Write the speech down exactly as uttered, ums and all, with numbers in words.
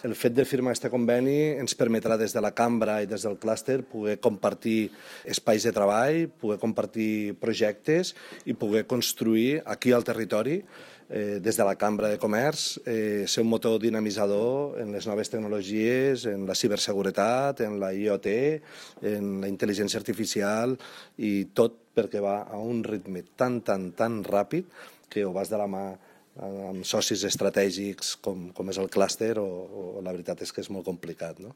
El fet de firmar aquest conveni ens permetrà des de la cambra i des del clúster poder compartir espais de treball, poder compartir projectes i poder construir aquí al territori, eh, des de la Cambra de Comerç, eh, ser un motor dinamitzador en les noves tecnologies, en la ciberseguretat, en la I o T, en la intel·ligència artificial i tot perquè va a un ritme tan, tan, tan ràpid que ho vas de la mà amb socis estratègics com, com és el clúster o, o la veritat és que és molt complicat, no?